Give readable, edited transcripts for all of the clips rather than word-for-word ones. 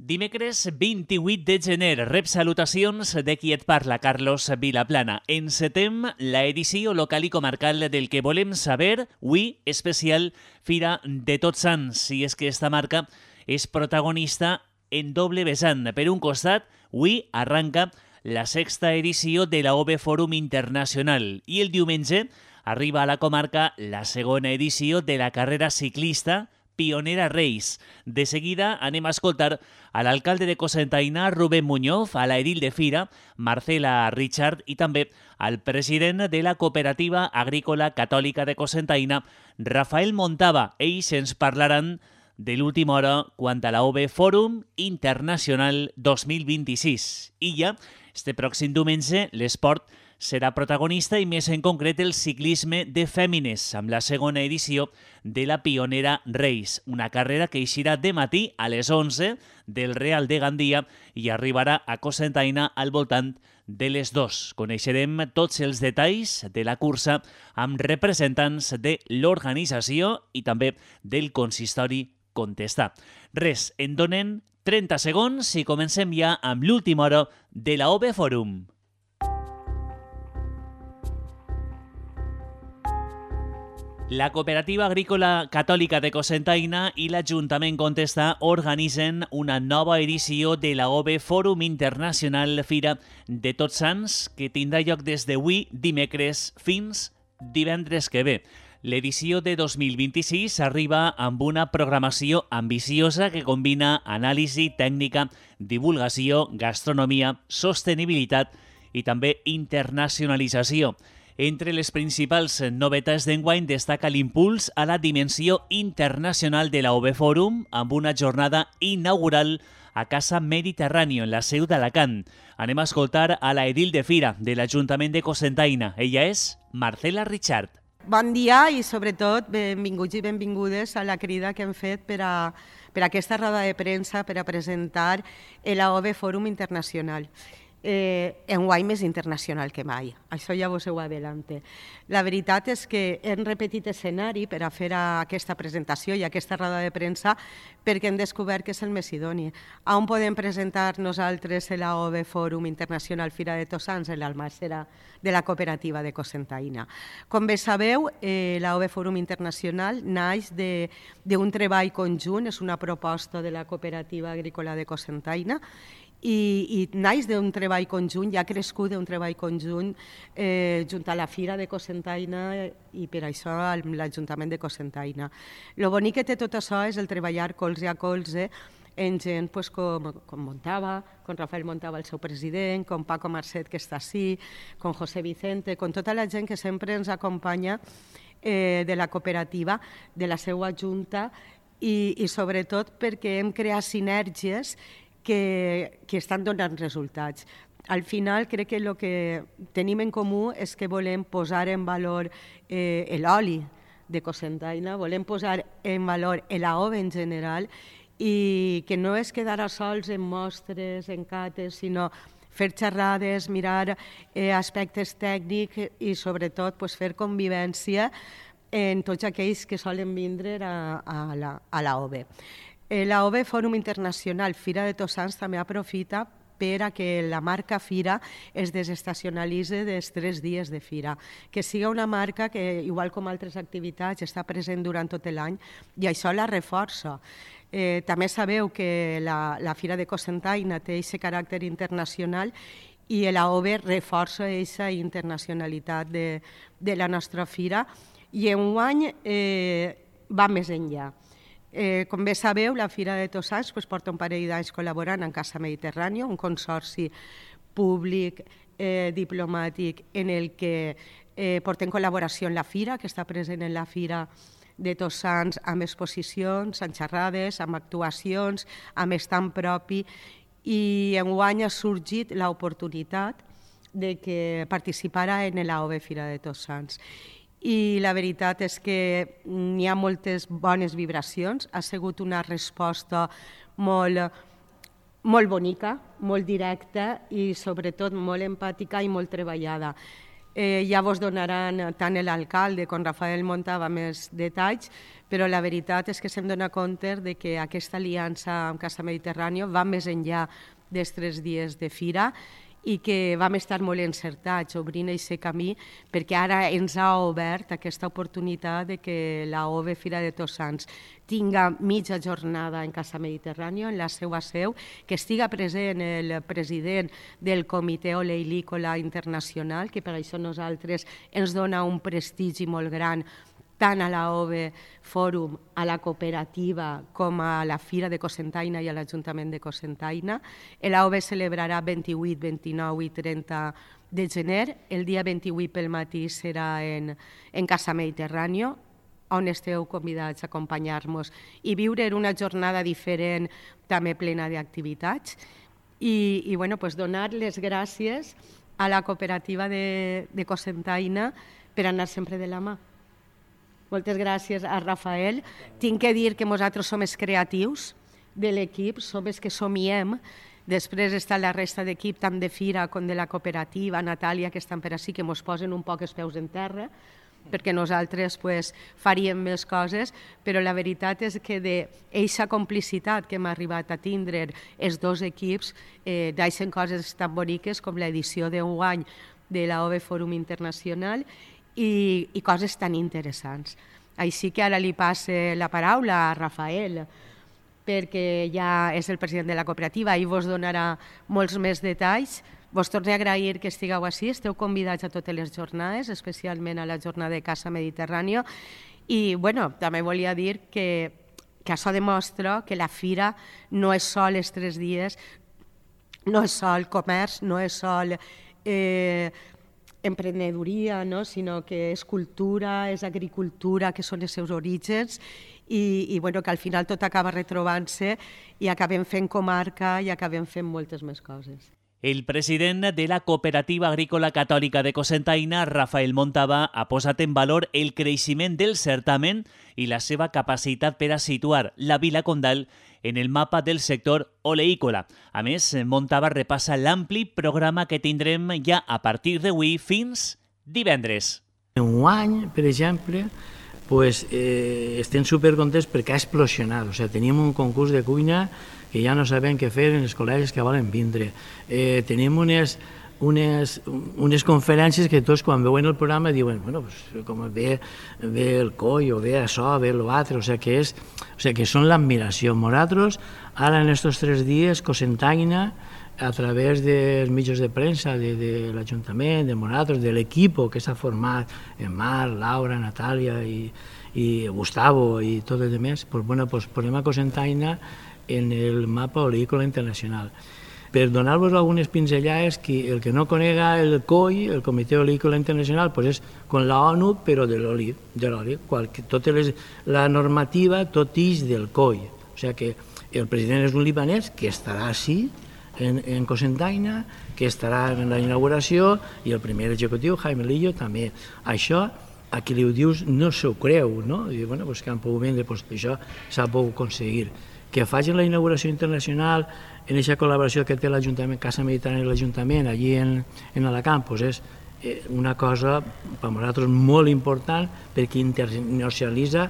Dimecres 28 de gener, rep salutacions de qui et parla, Carlos Vilaplana. Encetem la edició local i comarcal del que volem saber, avui especial Fira de Tots Sants, si és que esta marca és protagonista en doble vessant. Per un costat, avui arranca la sexta edició de la OVE Fòrum Internacional i el diumenge arriba a la comarca la segona edició de la carrera ciclista Pionera Race. De seguida anem a escoltar a l'alcalde de Cocentaina, Rubén Muñoz, a la edil de Fira, Marcela Richard, i també al president de la Cooperativa Agrícola Catòlica de Cocentaina, Rafael Montava. Ells ens parlaran de l'última hora quant a la OVE Fòrum Internacional 2026. I ja, este pròxim diumenge, l'esport serà protagonista i més en concret el ciclisme de fèmines amb la segona edició de la Pionera Race, una carrera que eixirà de matí a les 11 del Real de Gandia i arribarà a Cocentaina al voltant de les 2. Coneixerem tots els detalls de la cursa amb representants de l'organització i també del consistori Contestar. Res, en donen 30 segons i comencem ja amb l'última hora de la OVE Fòrum. La Cooperativa Agrícola Catòlica de Cocentaina i l'Ajuntament Contestar organitzen una nova edició de la OVE Fòrum Internacional Fira de Tots Sants que tindrà lloc des d'avui dimecres fins divendres que ve. L'edició de 2026 arriba amb una programació ambiciosa que combina anàlisi tècnica, divulgació, gastronomia, sostenibilitat i també internacionalització. Entre les principals novetats d'enguany destaca l'impuls a la dimensió internacional de la OVE Fòrum amb una jornada inaugural a Casa Mediterráneo, en la seu d'Alacant. Anem a escoltar a la edil de Fira de l'Ajuntament de Cocentaina. Ella és Marcela Richard. Bon dia i sobretot benvinguts i benvingudes a la crida que hem fet per a aquesta roda de premsa per a presentar la OVE Fòrum Internacional. Enguany més internacional que mai. Això ja vos ho adelante. La veritat és que hem repetit escenari per a fer aquesta presentació i aquesta roda de premsa perquè hem descobert que és el més idoni. On podem presentar nosaltres la OVE Fòrum Internacional Fira de Tots Sants? En l'almàssera de la Cooperativa de Cocentaina. Com bé sabeu, la OVE Fòrum Internacional naix d'un treball conjunt, és una proposta de la Cooperativa Agrícola de Cocentaina, i naix d'un treball conjunt, ja ha crescut d'un treball conjunt junt a la Fira de Cocentaina i per això l'Ajuntament de Cocentaina. El bonic que té tot això és el treballar colze a colze en gent com Montava, com Rafael Montava, el seu president, com Paco Marcet, que està ací, com José Vicente, com tota la gent que sempre ens acompanya de la cooperativa, de la seva junta i sobretot perquè hem creat sinergies que estan donant resultats. Al final crec que el que tenim en comú és que volem posar en valor l'oli de Cocentaina, volem posar en valor l'OVE en general i que no és quedar a sols en mostres, en cates, sinó fer xerrades, mirar aspectes tècnics i sobretot fer convivència en tots aquells que solen vindre a la OVE. La OVE Fòrum Internacional Fira de Tots Sants també aprofita per a que la marca Fira es desestacionalitzi dels 3 dies de Fira, que siga una marca que, igual com altres activitats, està present durant tot l'any i això la reforça. També sabeu que la Fira de Cocentaina té aquest caràcter internacional i la OVE reforça aquesta internacionalitat de la nostra fira i enguany va més enllà. Com bé sabeu, la Fira de Tots Sants porta un parell d'anys col·laborant amb Casa Mediterrània, un consorci públic diplomàtic en el que portem col·laboració en la Fira, que està present en la Fira de Tots Sants amb exposicions, amb xerrades, amb actuacions, amb estant propi, i enguany ha sorgit l'oportunitat de que participara en la OVE Fira de Tots Sants. I la veritat és que n'hi ha moltes bones vibracions, ha sigut una resposta molt bonica, molt directa i sobretot molt empàtica i molt treballada. ja vos donaran tant l'alcalde com Rafael Montava més detalls, però la veritat és que se'm dona compte de que aquesta aliança amb Casa Mediterrània va més enllà dels 3 dies de fira i que vam estar molt encertats obrint aquest camí, perquè ara ens ha obert aquesta oportunitat de que la OVE Fira de Tots Sants tinga mitja jornada en Casa Mediterrània, en la seva seu, que estiga present el president del Comitè Oleícola Internacional, que per això nosaltres ens dona un prestigi molt gran tant a la OVE Fòrum, a la cooperativa, com a la Fira de Cocentaina i a l'Ajuntament de Cocentaina. La OVE celebrarà 28, 29 i 30 de gener. El dia 28 pel matí serà en Casa Mediterrània, on esteu convidats a acompanyar-nos i viure una jornada diferent, també plena d'activitats. I donar les gràcies a la cooperativa de Cocentaina per anar sempre de la mà. Moltes gràcies a Rafael. Tinc que dir que nosaltres som els creatius de l'equip, som els que somiem. Després està la resta d'equip, tant de Fira com de la cooperativa, Natàlia, que estan per ací, que ens posen un poc els peus en terra, perquè nosaltres faríem més coses, però la veritat és que d'aquesta complicitat que hem arribat a tindre els dos equips, deixen coses tan boniques com l'edició d'enguany de la OVE Fòrum Internacional i coses tan interessants. Així que ara li passe la paraula a Rafael, perquè ja és el president de la cooperativa i vos donarà molts més detalls. Vos torno a agrair que estigueu així, esteu convidats a totes les jornades, especialment a la jornada de Casa Mediterrània. I també volia dir que això demostra que la fira no és sol els 3 dies, no és sol comerç, no és sol emprenedoria, sinó que és cultura, és agricultura, que són els seus orígens, i que al final tot acaba retrobant-se i acabem fent comarca i acabem fent moltes més coses. El president de la Cooperativa Agrícola Catòlica de Cocentaina, Rafael Montava, ha posat en valor el creixement del certamen i la seva capacitat per a situar la Vila Condal en el mapa del sector oleícola. A més, Montava repassa l'ampli programa que tindrem ja a partir d'avui fins divendres. Enguany, per exemple, estem supercontents perquè ha explosionat. Tenim un concurs de cuina que ja no sabem què fer en els col·legis que volen vindre. Tenim unes conferències que tots quan veuen el programa diuen com ve el coi o ve això, ve l'altre, que són l'admiració. Nosaltres, ara en aquests 3 dies, Cocentaina, a través dels mitjans de premsa de l'Ajuntament, de nosaltres, de l'equip que s'ha format, en Marc, Laura, Natàlia i Gustavo i tot el demés, posem a Cocentaina en el mapa oleícola internacional. Per donar-vos algunes pinzellades, el que no conega el COI, el Comitè Oleícola Internacional, és com la ONU, però de l'oli. La normativa tot ix del COI. O sigui que el president és un libanès que estarà així, en Cocentaina, que estarà en la inauguració, i el primer executiu, Jaime Lillo, també. Això, a qui li ho dius, no s'ho creu, no? I que han pogut vendre, això s'ha pogut aconseguir. Que facin la inauguració internacional en aquesta col·laboració que té l'Ajuntament, Casa Mediterrània i l'Ajuntament, allí en Alacant, és una cosa per nosaltres molt important perquè internacionalitza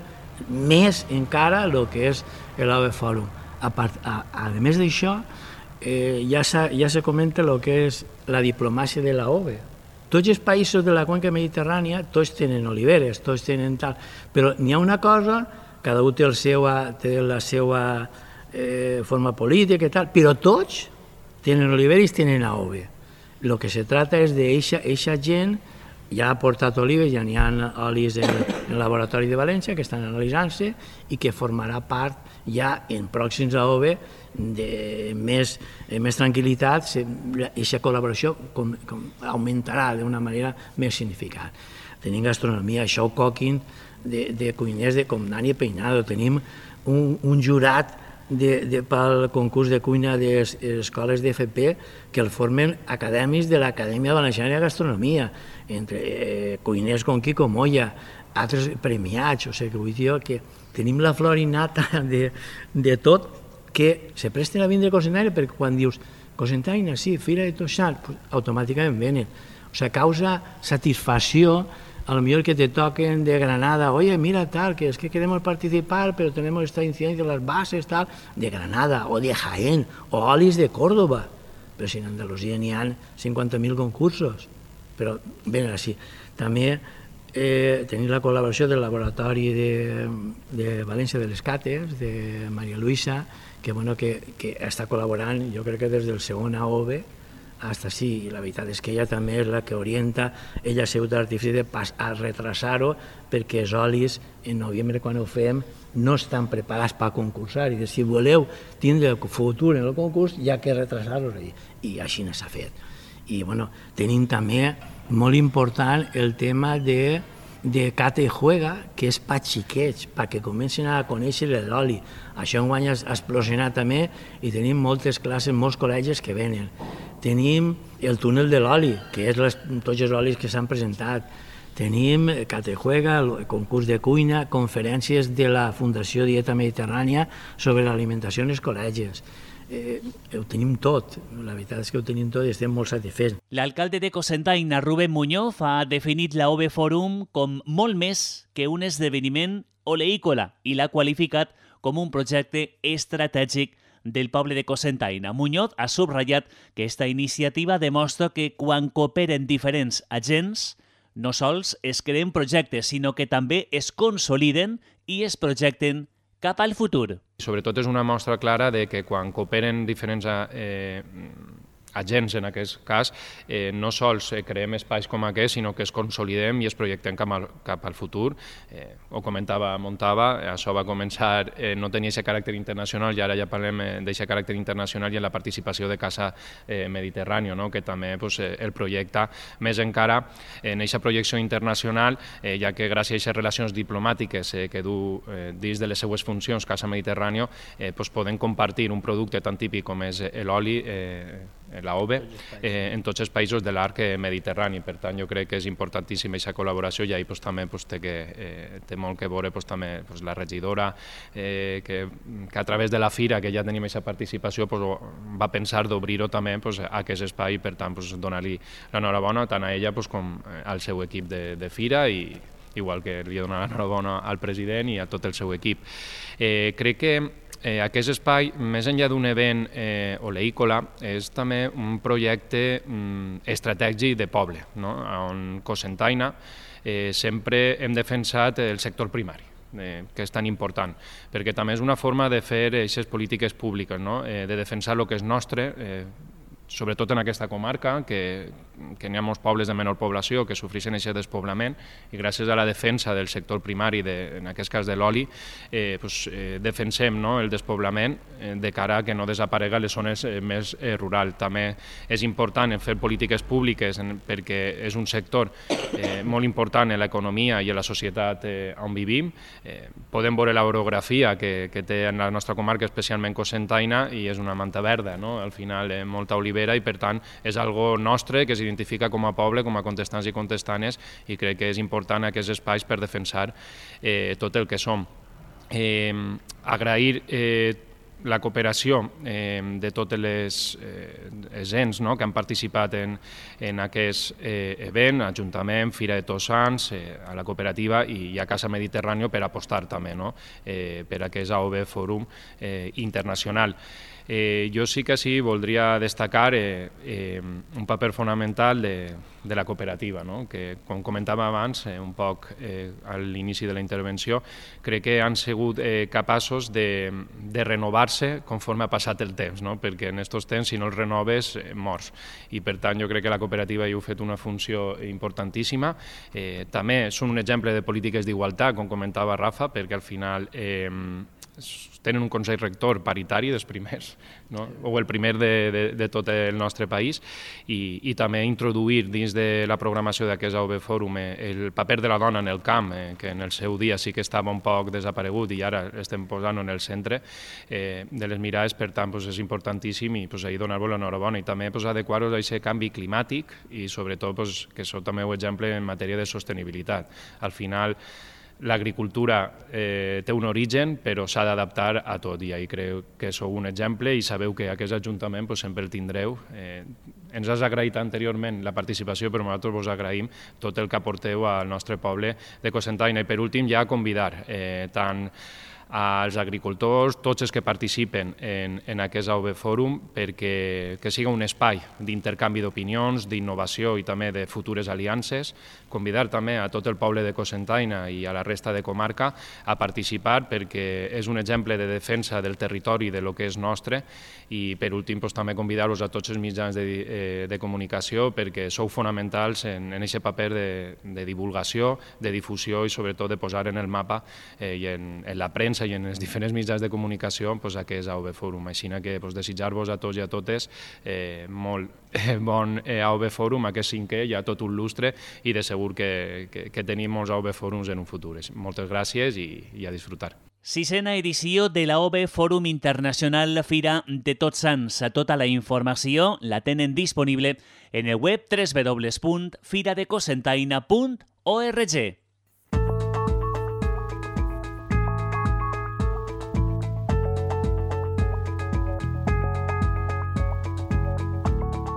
més encara el que és l'OVE Fòrum. A més d'això, ja se comenta el que és la diplomàcia de la OVE. Tots els països de la conca mediterrània, tots tenen oliveres, tots tenen tal, però n'hi ha una cosa, cada un té la seva forma política i tal, però tots tenen oliveres i tenen OVE. El que se trata és d'eixa gent, ja ha portat olives, ja n'hi ha olis en el laboratori de València que estan analitzant-se i que formarà part ja en pròxims a OVE de més tranquil·litat, aquesta col·laboració augmentarà d'una manera més significant. Tenim gastronomia, això coquin de cuiners com Dani Peinado, tenim un jurat pel concurs de cuina de les escoles d'FP que el formen acadèmics de l'Acadèmia Valenciana de Gastronomia, entre cuiners com Quico Moya, altres premiats, vull dir que tenim la flor innata de tot, que se presten a vindre a Cocentaina, perquè quan dius Cocentaina, sí, Fira de Tots Sants, automàticament venen. O sea, causa satisfacció a lo mejor que te toquen de Granada, oye, mira tal, que es que queremos participar, pero tenemos esta incidencia de las bases, tal, de Granada, o de Jaén, o Olis de Córdoba. Però si en Andalusia n'hi ha 50.000 concursos. Però ben així. També tenim la col·laboració del Laboratori de València de les Cates, de Maria Luisa, que està col·laborant, jo crec que des del segon AOVE, hasta sí, i la veritat és que ella també és la que orienta, ella ha sigut l'artifici a retrasar-ho perquè els olis en novembre quan ho fem no estan preparats per concursar i si voleu tindre futur en el concurs hi ha que retrasar-los i així s'ha fet. I tenim també molt important el tema de Cata i Juega, que és per xiquets, perquè comencin a conèixer l'oli. Això enguany ha explosionat també i tenim moltes classes, molts col·legis que venen. Tenim el túnel de l'oli, que és tots els olis que s'han presentat. Tenim Cata i Juega, el concurs de cuina, conferències de la Fundació Dieta Mediterrània sobre l'alimentació en els col·legis. Ho tenim tot, la veritat és que ho tenim tot i estem molt satisfets. L'alcalde de Cocentaina, Rubén Muñoz, ha definit la OVE Forum com molt més que un esdeveniment oleícola i l'ha qualificat com un projecte estratègic del poble de Cocentaina. Muñoz ha subratllat que esta iniciativa demostra que quan cooperen diferents agents, no sols es creen projectes, sinó que també es consoliden i es projecten cap al futur. Sobretot és una mostra clara de que quan cooperen diferents agents, en aquest cas, no sols creem espais com aquest, sinó que es consolidem i es projectem cap al futur. Ho comentava Montava, això va començar, no tenia aquest caràcter internacional i ara ja parlem d'aquest caràcter internacional i en la participació de Casa Mediterrània, que també el projecta més encara en aquesta projecció internacional, ja que gràcies a aquestes relacions diplomàtiques que du dins de les seues funcions Casa Mediterrània, poden compartir un producte tan típic com és l'oli, la OVE, en tots els països de l'arc mediterrani. Per tant, jo crec que és importantíssima aquesta col·laboració i ahir també té molt que veure també la regidora, que a través de la fira, que ja tenim aquesta participació, va pensar d'obrir-ho també a aquest espai i per tant donar-li l'enhorabona tant a ella com al seu equip de fira i igual que li donar l'enhorabona al president i a tot el seu equip. Crec que aquest espai, més enllà d'un event oleícola, és també un projecte estratègic de poble, on Cocentaina sempre hem defensat el sector primari, que és tan important, perquè també és una forma de fer aquestes polítiques públiques, de defensar el que és nostre, sobretot en aquesta comarca, que n'hi ha molts pobles de menor població que sofreixen aquest despoblament i gràcies a la defensa del sector primari, en aquest cas de l'oli, defensem el despoblament de cara a que no desaparega les zones més rurals. També és important fer polítiques públiques perquè és un sector molt important en l'economia i en la societat on vivim. Podem veure l'orografia que té en la nostra comarca, especialment Cocentaina, i és una manta verda, al final molta olivera, i per tant és algo nostre que s'identifica com a poble, com a contestants i contestanes, i crec que és important aquests espais per defensar tot el que som. Agrair la cooperació de totes les ens que han participat en aquest event, Ajuntament, Fira de Tots Sants, a la cooperativa i a Casa Mediterrània per apostar també per aquest AOVE Fòrum internacional. Jo sí que voldria destacar un paper fonamental de la cooperativa, que, com comentava abans, un poc a l'inici de la intervenció, crec que han sigut capaços de renovar-se conforme ha passat el temps, perquè en aquests temps, si no els renoves, mors. I per tant, jo crec que la cooperativa hi ha fet una funció importantíssima. També són un exemple de polítiques d'igualtat, com comentava Rafa, perquè al final tenen un Consell Rector paritari dels primers, o el primer de tot el nostre país, i també introduir dins de la programació d'aquest AOVE Fòrum el paper de la dona en el camp, que en el seu dia sí que estava un poc desaparegut i ara estem posant en el centre de les mirades. Per tant, és importantíssim i ahir donar-vos l'enhorabona i també adequar-vos a aquest canvi climàtic i sobretot que això també és un exemple en matèria de sostenibilitat. Al final, l'agricultura té un origen, però s'ha d'adaptar a tot, i ahir crec que sou un exemple i sabeu que aquest Ajuntament sempre el tindreu. Ens has agraït anteriorment la participació, però nosaltres vos agraïm tot el que aporteu al nostre poble de Cocentaina. I per últim ja convidar tant als agricultors, tots els que participen en aquest AOB Fòrum, perquè siga un espai d'intercanvi d'opinions, d'innovació i també de futures aliances. Convidar també a tot el poble de Cocentaina i a la resta de comarca a participar, perquè és un exemple de defensa del territori, de lo que és nostre. I per últim també convidar-vos a tots els mitjans de comunicació, perquè sou fonamentals en aquest paper de divulgació, de difusió i sobretot de posar en el mapa i en la premsa i en els diferents mitjans de comunicació aquest AOB Fòrum. Així que desitjar-vos a tots i a totes molt bon AOB Fòrum, aquest 5è, ja tot un lustre, i de segur que tenim molts AOB Fòrums en un futur. Moltes gràcies i a disfrutar. 6a edició de l'AOB Fòrum Internacional Fira de Tots Sants. Tota la informació la tenen disponible en el web www.firadecocentaina.org.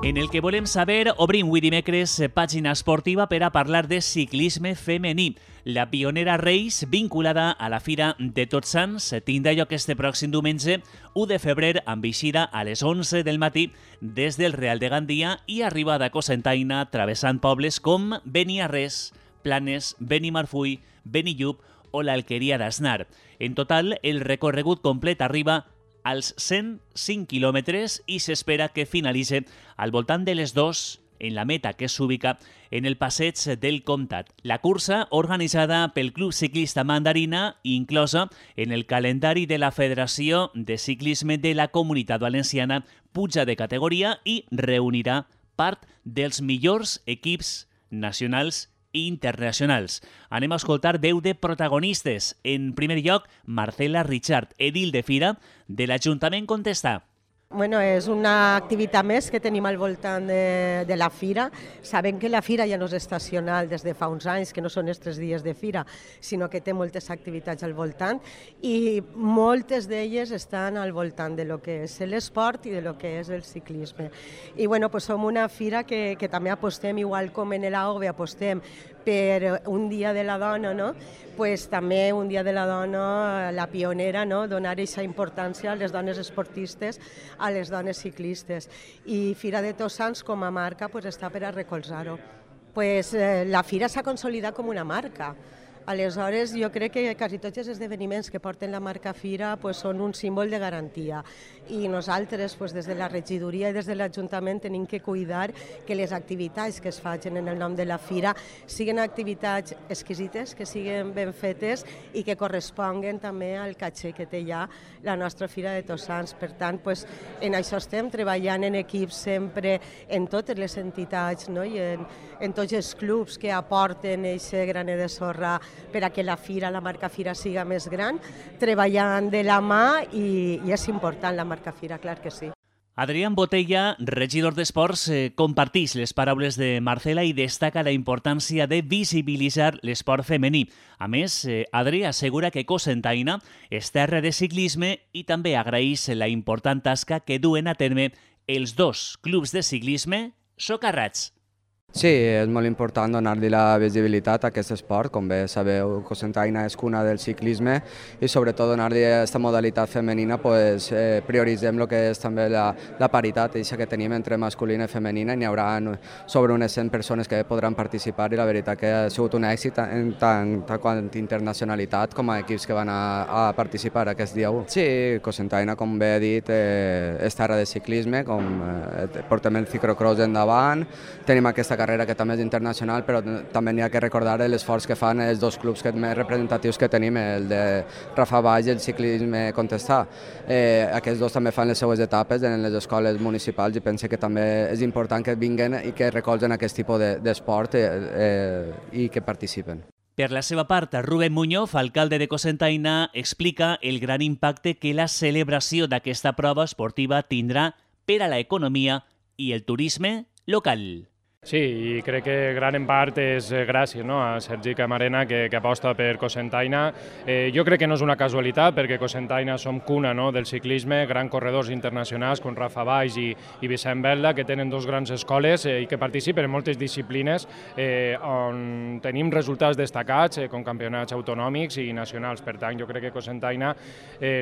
En el que volem saber, obrim avui dimecres pàgina esportiva per a parlar de ciclisme femení. La pionera Race, vinculada a la Fira de Tots Sants, tindrà lloc este pròxim diumenge 1 de febrer amb eixida a les 11 del matí des del Real de Gandia i arribada a Cocentaina travessant pobles com Beniarrés, Planes, Benimarfull, Benillup o l'Alqueria d'Asnar. En total, el recorregut complet arriba als 105 quilòmetres i s'espera que finalitzi al voltant de les 2 en la meta que s'ubica en el passeig del Comtat. La cursa, organitzada pel Club Ciclista Mandarina, inclosa en el calendari de la Federació de Ciclisme de la Comunitat Valenciana, puja de categoria i reunirà part dels millors equips nacionals i internacionals. Anem a escoltar veu de protagonistes. En primer lloc, Marcela Richard, edil de Fira de l'Ajuntament Contestà. Bueno, és una activitat més que tenim al voltant de la Fira. Sabem que la Fira ja no és estacional des de fa uns anys, que no són els 3 dies de Fira, sinó que té moltes activitats al voltant i moltes d'elles estan al voltant de lo que és l'esport i de lo que és el ciclisme. I bueno, pues som una Fira que també apostem, igual com en l'AOB apostem per un dia de la dona, no? Pues també un dia de la dona, la pionera, no? Donar aquesta importància a les dones esportistes, a les dones ciclistes. I Fira de Tots Sants com a marca pues, està per a recolzar-ho. Pues, la Fira s'ha consolidat com una marca. Aleshores, jo crec que quasi tots els esdeveniments que porten la marca Fira pues, són un símbol de garantia. I nosaltres, pues, des de la regidoria i des de l'Ajuntament, tenim que cuidar que les activitats que es facin en el nom de la Fira siguin activitats exquisites, que siguin ben fetes i que corresponguen també al caché que té ja la nostra Fira de Tots Sants. Per tant, pues, en això estem treballant en equips sempre en totes les entitats, no? I en tots els clubs que aporten aquest graner de sorra per a que la Fira, la marca Fira, siga més gran, treballant de la mà i és important la marca Fira, clar que sí. Adrián Botella, regidor d'Esports, comparteix les paraules de Marcela i destaca la importància de visibilitzar l'esport femení. A més, Adri assegura que Cocentaina és terra de ciclisme i també agraeix la important tasca que duen a terme els 2 clubs de ciclisme socarrats. Sí, és molt important donar-li la visibilitat a aquest esport. Com bé sabeu, Cocentaina és cuna del ciclisme i sobretot donar-li aquesta modalitat femenina pues, prioritzem el que és també la paritat que tenim entre masculina i femenina. N'hi haurà sobre unes 100 persones que podran participar i la veritat que ha sigut un èxit en tant quant internacionalitat com a equips que van a participar aquest dia 1. Sí, Cocentaina, com bé he dit, és terra de ciclisme, portem el ciclocross endavant, tenim aquesta carrera que també és internacional, però també n'hi ha que recordar l'esforç que fan els 2 clubs més representatius que tenim, el de Rafa Baix i el ciclisme Contestà. Aquests 2 també fan les seues etapes en les escoles municipals i penso que també és important que vinguen i que recolzen aquest tipus d'esport i que participen. Per la seva part, Rubén Muñoz, alcalde de Cocentaina, explica el gran impacte que la celebració d'aquesta prova esportiva tindrà per a l'economia i el turisme local. Sí, i crec que gran en part és gràcies a Sergi Camarena que aposta per Cocentaina. Jo crec que no és una casualitat perquè Cocentaina som cuna del ciclisme, grans corredors internacionals com Rafa Valls i Vicent Belda que tenen dos grans escoles i que participen en moltes disciplines on tenim resultats destacats com campionats autonòmics i nacionals. Per tant, jo crec que Cocentaina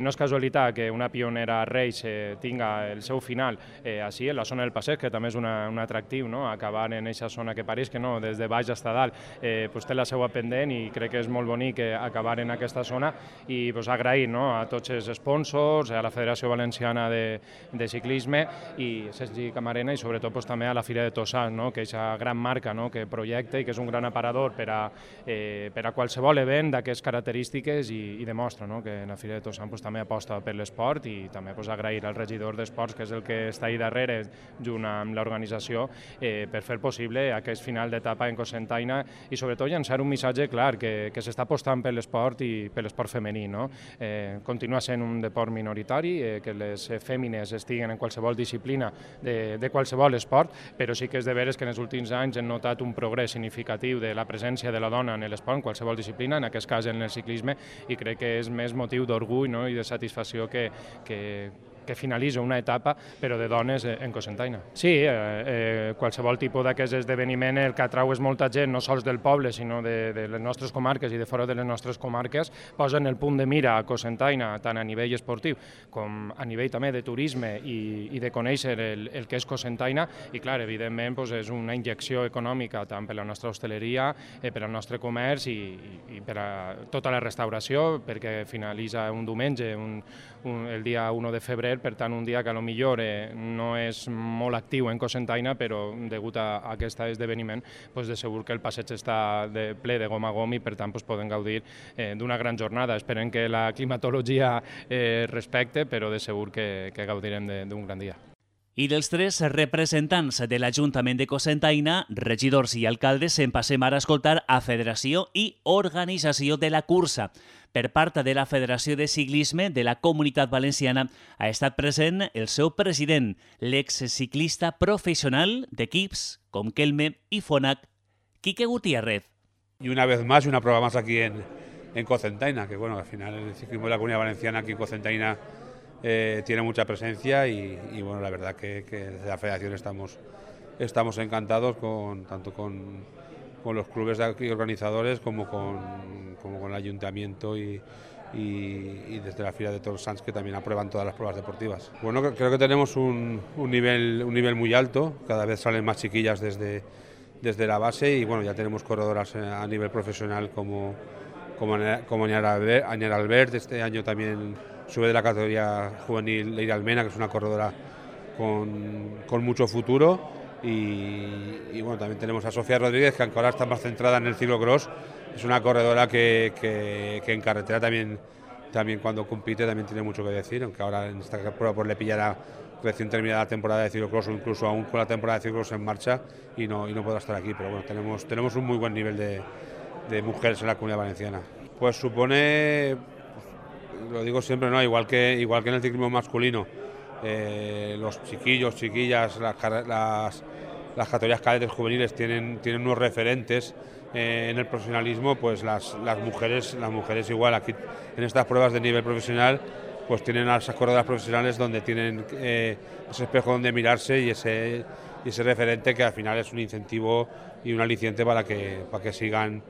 no és casualitat que una pionera Reis tinga el seu final així, en la zona del Passeig, que també és un atractiu, acabar en aquesta zona que pareix que no, des de baix fins a dalt, té la seva pendent i crec que és molt bonic acabar en aquesta zona i agrair a tots els sponsors, a la Federació Valenciana de Ciclisme i Sergi Camarena i sobretot també a la Fira de Tossal, que és una gran marca que projecta i que és un gran aparador per a qualsevol event d'aquestes característiques i demostra que la Fira de Tossal també aposta per l'esport i també agrair al regidor d'Esports, que és el que està ahí darrere, junt amb l'organització, per fer possible aquest final d'etapa en Cocentaina i sobretot llançar un missatge clar que s'està apostant per l'esport i per l'esport femení. Continua sent un deport minoritari, que les fèmines estiguen en qualsevol disciplina de qualsevol esport, però sí que és de veres que en els últims anys hem notat un progrés significatiu de la presència de la dona en l'esport, en qualsevol disciplina, en aquest cas en el ciclisme, i crec que és més motiu d'orgull i de satisfacció que finalitza una etapa, però de dones en Cocentaina. Sí, qualsevol tipus d'aquest esdeveniment el que atrau és molta gent, no sols del poble, sinó de les nostres comarques i de fora de les nostres comarques, posen el punt de mira a Cocentaina, tant a nivell esportiu com a nivell també de turisme i de conèixer el que és Cocentaina, i clar, evidentment és una injecció econòmica tant per la nostra hostaleria, per al nostre comerç i per a tota la restauració, perquè finalitza un diumenge, el dia 1 de febrer, per tant un dia que potser no és molt actiu en Cocentaina, però degut a aquest esdeveniment de segur que el passeig està ple de gom a gom i per tant poden gaudir d'una gran jornada. Esperem que la climatologia respecte, però de segur que gaudirem d'un gran dia. I dels tres representants de l'Ajuntament de Cocentaina, regidors i alcaldes, en passem ara a escoltar a Federació i Organització de la Cursa. Per part de la Federació de Ciclisme de la Comunitat Valenciana ha estat present el seu president, l'exciclista professional d'equips com Kelme i Fonac, Quique Gutiérrez. Y una vez más, una prueba más aquí en Cocentaina, que bueno, al final el ciclismo de la Comunidad Valenciana aquí en Cocentaina tiene mucha presencia y bueno, la verdad que desde la Federación estamos encantados tanto con los clubes de aquí organizadores como con el Ayuntamiento y desde la Fira de Toros Sants, que también aprueban todas las pruebas deportivas. Bueno, creo que tenemos un nivel muy alto, cada vez salen más chiquillas desde la base y bueno, ya tenemos corredoras a nivel profesional como Añar Albert, este año también sube de la categoría juvenil Leire Almena, que es una corredora con mucho futuro. Y bueno, también tenemos a Sofía Rodríguez, que aunque ahora está más centrada en el ciclocross, es una corredora que en carretera también cuando compite también tiene mucho que decir, aunque ahora en esta prueba pues le pillará recién terminada la temporada de ciclocross o incluso aún con la temporada de ciclocross en marcha y no podrá estar aquí, pero bueno, tenemos un muy buen nivel de mujeres en la Comunidad Valenciana. Pues supone, lo digo siempre, igual que en el ciclismo masculino, los chiquillos, chiquillas, las categorías cadetes juveniles tienen unos referentes en el profesionalismo, pues las mujeres igual aquí en estas pruebas de nivel profesional pues tienen a esas corredoras profesionales donde tienen ese espejo donde mirarse y ese referente que al final es un incentivo y un aliciente para que sigan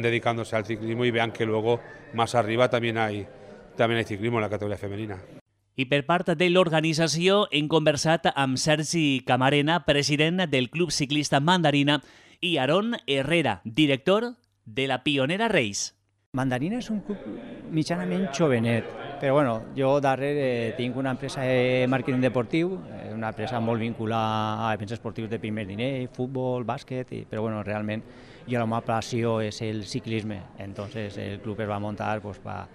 dedicándose al ciclismo y vean que luego más arriba también hay ciclismo en la categoría femenina. I per part de l'organització hem conversat amb Sergi Camarena, president del Club Ciclista Mandarina, i Aaron Herrera, director de la Pionera Reis. Mandarina és un club mitjanament jovenet, però bueno, jo darrere tinc una empresa de màrqueting deportiu, una empresa molt vinculada a events esportius de primer nivell, futbol, bàsquet, però bueno, realment jo la meva passió és el ciclisme, entonces el club es va muntar para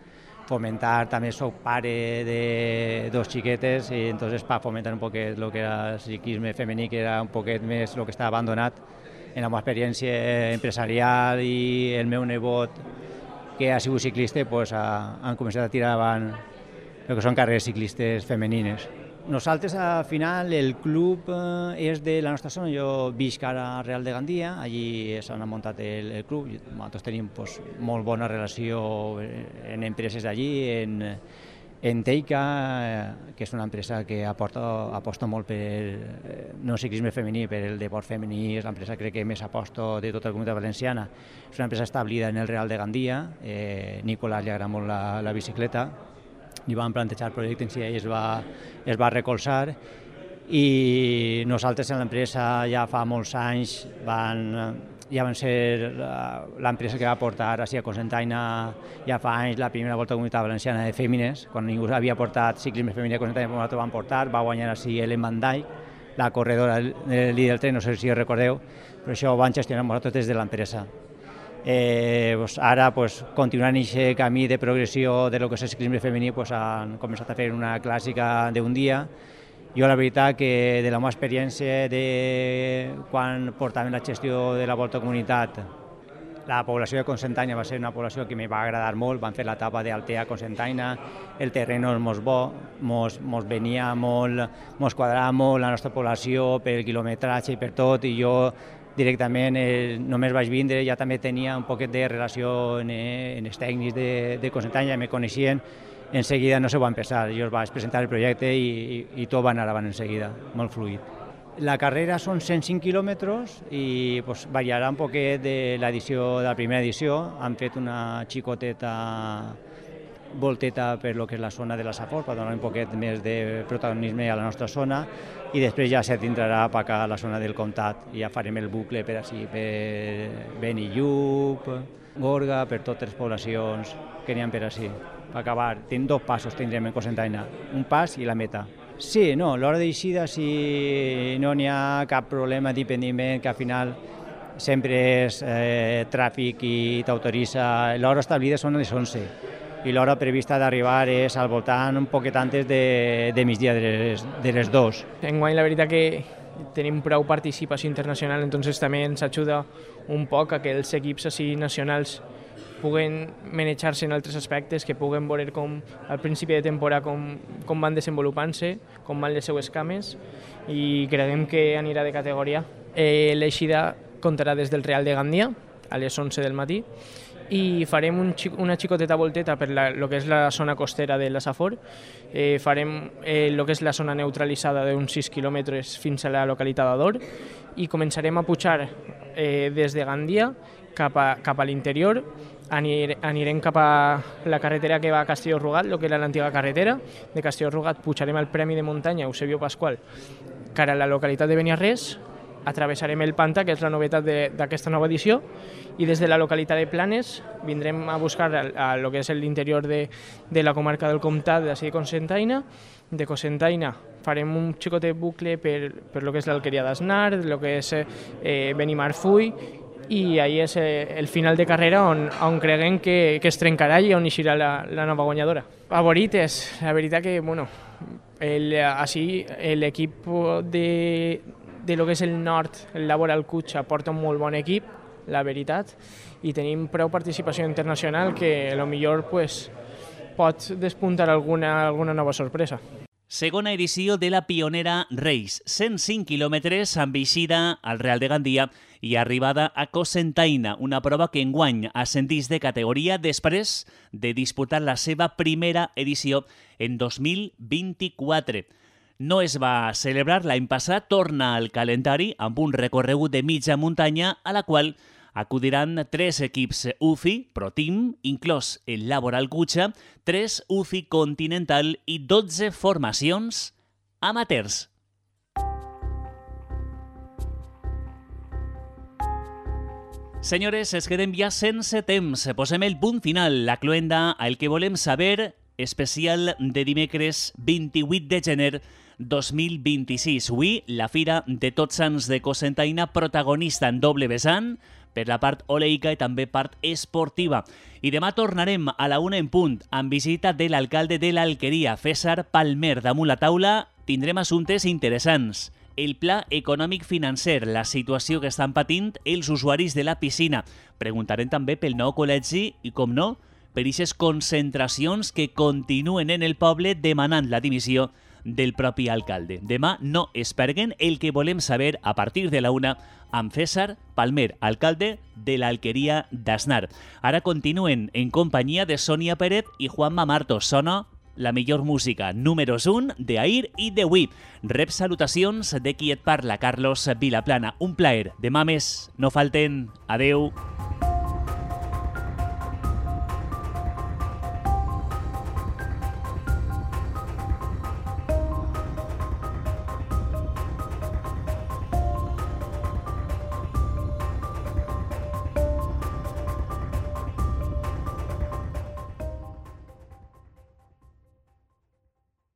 fomentar, també soc pare de dos xiquetes i entonces para fomentar un poquet lo que era el ciclisme femení, que era un poquet més el que estava abandonat en la meva experiència empresarial, i el meu nebot, que ha sigut ciclista, pues han començat a tirar avant el que són carreres ciclistes femenines. Nosaltres, al final, el club és de la nostra zona. Jo visc ara a Real de Gandia, allí s'ha muntat el club. Nosaltres tenim molt bona relació en empreses d'allí, en Teica, que és una empresa que aposta molt per no ciclisme femení, per el deport femení. És l'empresa, crec que més aposta de tota la comunitat valenciana. És una empresa establida en el Real de Gandia. Nicolás li agrada molt la bicicleta. Li van plantejar el projecte en si ell es va recolzar, i nosaltres en l'empresa ja fa molts anys ja van ser l'empresa que va portar així a Cocentaina ja fa anys la primera volta a la Comunitat Valenciana de Fèmines. Quan ningú havia portat ciclisme femení a Cocentaina, nosaltres van portar, va guanyar així Ellen Van Dijk, la corredora del líder del tren, no sé si ho recordeu, però això ho van gestionar nosaltres des de l'empresa. Ara, continuant aquest camí de progressió de lo que és el ciclisme femení, han començat a fer una clàssica d'un dia. Jo la veritat que de la meva experiència de quan portàvem la gestió de la Volta a Comunitat, la població de Cocentaina va ser una població que me va agradar molt. Van fer l'etapa d'Altea a Cocentaina, el terreny és molt bo, mos venia molt, mos quadrava molt la nostra població per el quilometratge i per tot, i jo directament només vaig vindre, ja també tenia un poquet de relació en els tècnics de Cocentaina, ja me coneixien, en seguida no se va empezar, jo vaig presentar el projecte i tot va anar avant en seguida, molt fluid. La carrera són 105 quilòmetres i variarà un poquet de la primera edició. Han fet una xicoteta volteta per lo que és la zona de la Safor, per donar un poquet més de protagonisme a la nostra zona, i després ja se tindrà per acá a la zona del comtat. Ja farem el bucle per Benillup, Gorga, per totes les poblacions que n'hi ha per així. Per acabar, tenim 2 passos tindrem en Cocentaina, un pas i la meta. Sí, no, l'hora d'eixida si no n'hi ha cap problema d'impediment, que al final sempre és tràfic i t'autoritza. L'hora establida són les 11 i l'hora prevista d'arribar és al voltant un poquet antes de migdia de les 2. Enguany la veritat que tenim prou participació internacional, entonces també ens ajuda un poc a que els equips així nacionals puguen manejar-se en altres aspectes, que puguen veure com al principi de temporada com van desenvolupant-se, com van les seues cames, i creiem que anirà de categoria. L'eixida comptarà des del Real de Gandia a les 11 del matí i farem una xicoteta volteta per lo que és la zona costera de la Safor. Farem lo que és la zona neutralitzada d'uns 6 quilòmetres fins a la localitat d'Ador i començarem a pujar des de Gandia cap a l'interior. Anirem cap a la carretera que va a Castelló-Rugat, el que era l'antiga carretera. De Castelló-Rugat pujarem al Premi de Muntanya Eusebio Pascual cara a la localitat de Beniarrés, atravessarem el Pantà, que és la novetat d'aquesta nova edició, i des de la localitat de Planes vindrem a buscar el que és l'interior de la comarca del Comtat de Cocentaina. De Cocentaina farem un xicotet bucle per lo que és l'Alqueria d'Asnar, el que és Benimarfull, i ahir és el final de carrera on creguem que es trencarà i on eixirà la nova guanyadora. Favorites, la veritat que, així l'equip de lo que és el nord, el Laboral Cutxa, porta un molt bon equip, la veritat, i tenim prou participació internacional que potser pot despuntar alguna nova sorpresa. Segona edició de la Pionera Race, 105 quilòmetres amb eixida al Real de Gandia i arribada a Cocentaina, una prova que enguany ascendís de categoria després de disputar la seva primera edició en 2024. No es va celebrar l'any passat, torna al calendari amb un recorregut de mitja muntanya a la qual acudiran 3 equips UCI, Pro Team, inclòs el Laboral Cutxa, 3 UCI Continental i 12 formacions amateurs. Senyores, es quedem ja sense temps. Posem el punt final, la cloenda al que volem saber, especial de dimecres 28 de gener 2026. Avui, la Fira de Tots Sants de Cocentaina, protagonista en doble vessant, per la part oleica i també part esportiva. I demà tornarem a la 1 en punt, amb visita de l'alcalde de l'Alqueria, César Palmer. Damunt la taula tindrem assumptes interessants. El pla econòmic financer, la situació que estan patint els usuaris de la piscina. Preguntarem també pel nou col·legi i, com no, per aquestes concentracions que continuen en el poble demanant la dimissió del propi alcalde. Demà no es perguen el que volem saber a partir de la 1 amb César Palmer, alcalde de l'Alqueria d'Aznar. Ara continuen en companyia de Sònia Pérez i Juanma Martos. Sona la millor música, números 1 d'ahir i d'avui. Rep salutacions de qui et parla, Carlos Vilaplana. Un plaer. Demà més. No falten. Adeu.